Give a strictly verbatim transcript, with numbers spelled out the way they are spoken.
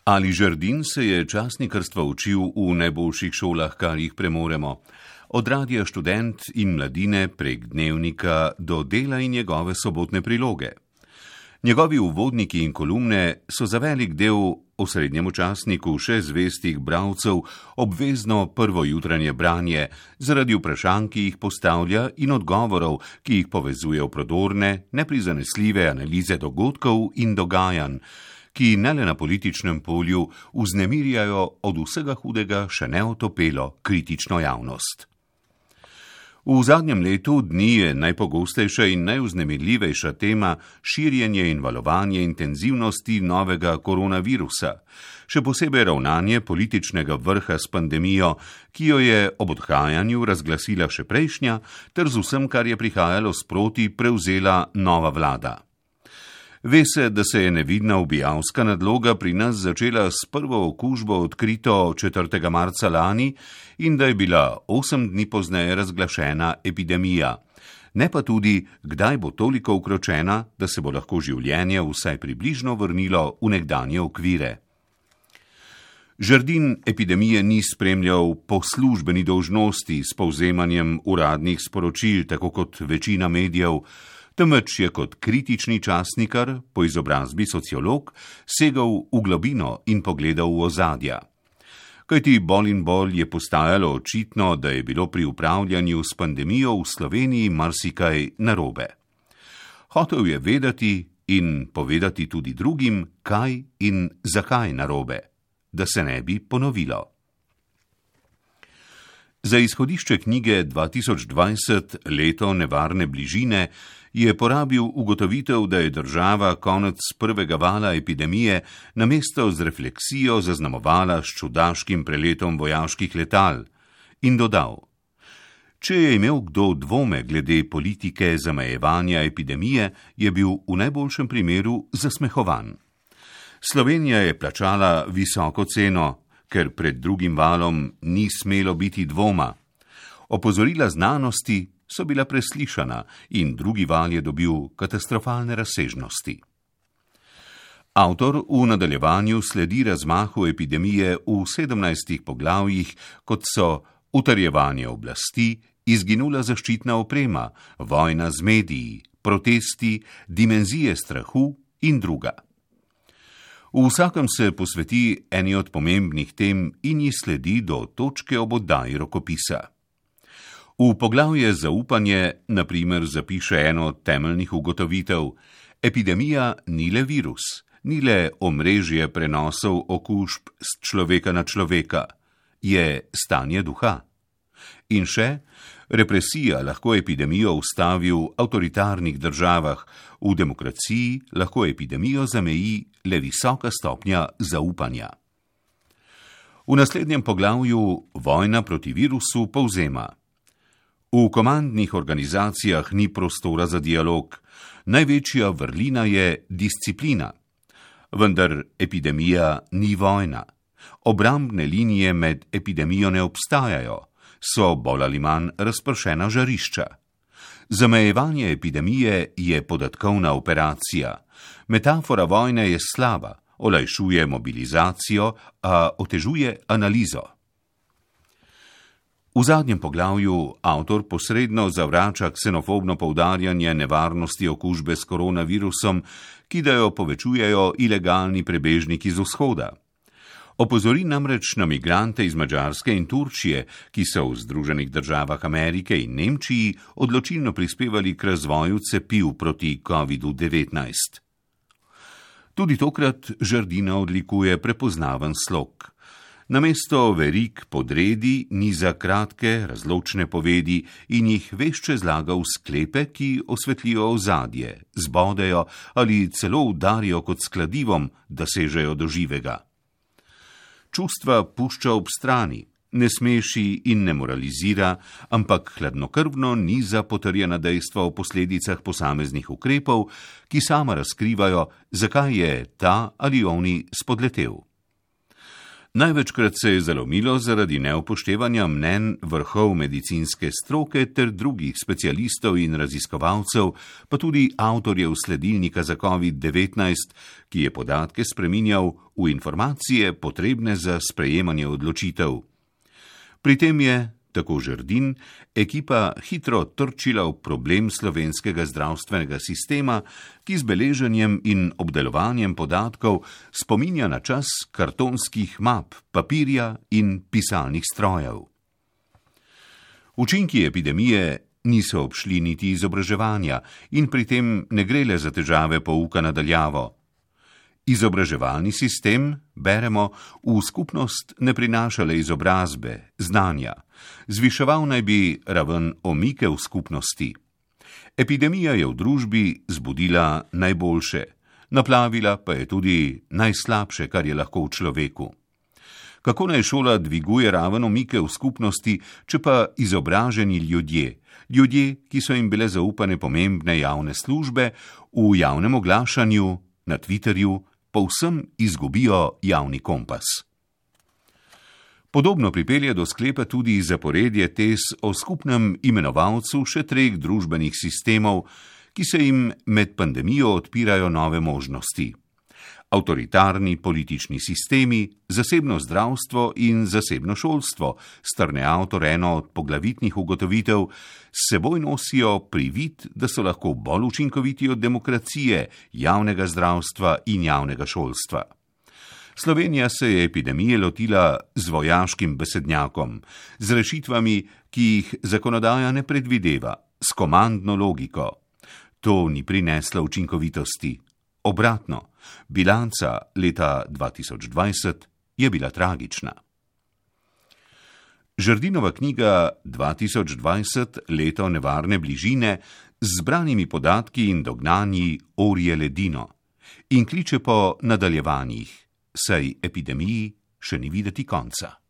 Ali Žerdin se je časnikarstva učil v najboljših šolah, kar jih premoremo. Od Radia Študent in Mladine prek Dnevnika do Dela in njegove sobotne priloge. Njegovi uvodniki in kolumne so za velik del osrednjemu časniku še zvestih bralcev obvezno prvo jutranje branje zaradi vprašanj, ki jih postavlja, in odgovorov, ki jih povezuje v prodorne, neprizanesljive analize dogodkov in dogajanj, ki ne le na političnem polju vznemirjajo od vsega hudega še neotopelo kritično javnost. V zadnjem letu dni je najpogostejša in najvznemirljivejša tema širjenje in valovanje intenzivnosti novega koronavirusa, še posebej ravnanje političnega vrha s pandemijo, ki jo je ob odhajanju razglasila še prejšnja, ter z vsem, kar je prihajalo sproti, prevzela nova vlada. Ve se, da se je nevidna ubijalska nadloga pri nas začela s prvo okužbo odkrito četrtega marca lani in da je bila osem dni pozneje razglašena epidemija. Ne pa tudi, kdaj bo toliko ukročena, da se bo lahko življenje vsaj približno vrnilo v nekdanje okvire. Žerdin epidemije ni spremljal po službeni dolžnosti s povzemanjem uradnih sporočil, tako kot večina medijev, temveč je kot kritični časnikar, po izobrazbi sociolog, segal v globino in pogledal v ozadja. Kajti bolj in bolj je postajalo očitno, da je bilo pri upravljanju s pandemijo v Sloveniji marsikaj narobe. Hotel je vedeti in povedati tudi drugim, kaj in zakaj narobe, da se ne bi ponovilo. Za izhodišče knjige dva tisoč dvajset Leto nevarne bližine je porabil ugotovitev, da je država konec prvega vala epidemije namesto z refleksijo zaznamovala s čudaškim preletom vojaških letal in dodal: Če je imel kdo dvome glede politike zamejevanja epidemije, je bil v najboljšem primeru zasmehovan. Slovenija je plačala visoko ceno, ker pred drugim valom ni smelo biti dvoma. Opozorila znanosti so bila preslišana in drugi val je dobil katastrofalne razsežnosti. Avtor v nadaljevanju sledi razmahu epidemije v sedemnajstih poglavjih, kot so utrjevanje oblasti, izginula zaščitna oprema, vojna z mediji, protesti, dimenzije strahu in druga. V vsakem se posveti eni od pomembnih tem in ji sledi do točke ob oddaji rokopisa. V poglavje zaupanje, na primer, zapiše eno od temeljnih ugotovitev: epidemija ni le virus, ni le omrežje prenosov okužb s človeka na človeka, je stanje duha. In še, represija lahko epidemijo ustavi v avtoritarnih državah, v demokraciji lahko epidemijo zameji le visoka stopnja zaupanja. V naslednjem poglavju Vojna proti virusu povzema: V komandnih organizacijah ni prostora za dialog, največja vrlina je disciplina. Vendar epidemija ni vojna. Obrambne linije med epidemijo ne obstajajo, so bolj ali manj razpršena žarišča. Zamejevanje epidemije je podatkovna operacija. Metafora vojne je slaba, olajšuje mobilizacijo, a otežuje analizo. V zadnjem poglavju avtor posredno zavrača ksenofobno poudarjanje nevarnosti okužbe s koronavirusom, ki da jo povečujejo ilegalni prebežniki z vzhoda. Opozori namreč na migrante iz Madžarske in Turčije, ki so v Združenih državah Amerike in Nemčiji odločilno prispevali k razvoju cepiv proti kovidu devetnajst. Tudi tokrat Žerdina odlikuje prepoznaven slog. Namesto verig podredi niza kratke, razločne povedi in jih vešče zlaga v sklepe, ki osvetlijo ozadje, zbodejo ali celo udarijo kot s kladivom, da sežejo do živega. Čustva pušča ob strani, ne smeši in ne moralizira, ampak hladnokrvno niza potrjena dejstva o posledicah posameznih ukrepov, ki sama razkrivajo, zakaj je ta ali oni spodletel. Največkrat se je zalomilo zaradi neupoštevanja mnenj vrhov medicinske stroke ter drugih specialistov in raziskovalcev, pa tudi avtorjev sledilnika za covid devetnajst, ki je podatke spreminjal v informacije potrebne za sprejemanje odločitev. Pri tem je, tako Žerdin, ekipa hitro trčila v problem slovenskega zdravstvenega sistema, ki z beleženjem in obdelovanjem podatkov spominja na čas kartonskih map, papirja in pisalnih strojev. Učinki epidemije niso obšli niti izobraževanja in pri tem ne gre le za težave pouka na daljavo. Izobraževalni sistem, beremo, v skupnost ne prinaša le izobrazbe, znanja. Zviševal naj bi raven omike v skupnosti. Epidemija je v družbi zbudila najboljše, naplavila pa je tudi najslabše, kar je lahko v človeku. Kako naj šola dviguje raven omike v skupnosti, če pa izobraženi ljudje, ljudje, ki so jim bile zaupane pomembne javne službe, v javnem oglašanju, na Twitterju, povsem izgubijo javni kompas. Podobno pripelje do sklepa tudi zaporedje tez o skupnem imenovalcu še treh družbenih sistemov, ki se jim med pandemijo odpirajo nove možnosti. Avtoritarni politični sistemi, zasebno zdravstvo in zasebno šolstvo, strne avtor eno od poglavitnih ugotovitev, s seboj nosijo privid, da so lahko bolj učinkoviti od demokracije, javnega zdravstva in javnega šolstva. Slovenija se je epidemije lotila z vojaškim besednjakom, z rešitvami, ki jih zakonodaja ne predvideva, s komandno logiko. To ni prineslo učinkovitosti. Obratno, bilanca leta dva tisoč dvajset je bila tragična. Žerdinova knjiga dva tisoč dvajset leto nevarne bližine z zbranimi podatki in dognanji orje ledino in kliče po nadaljevanjih, saj epidemiji še ni videti konca.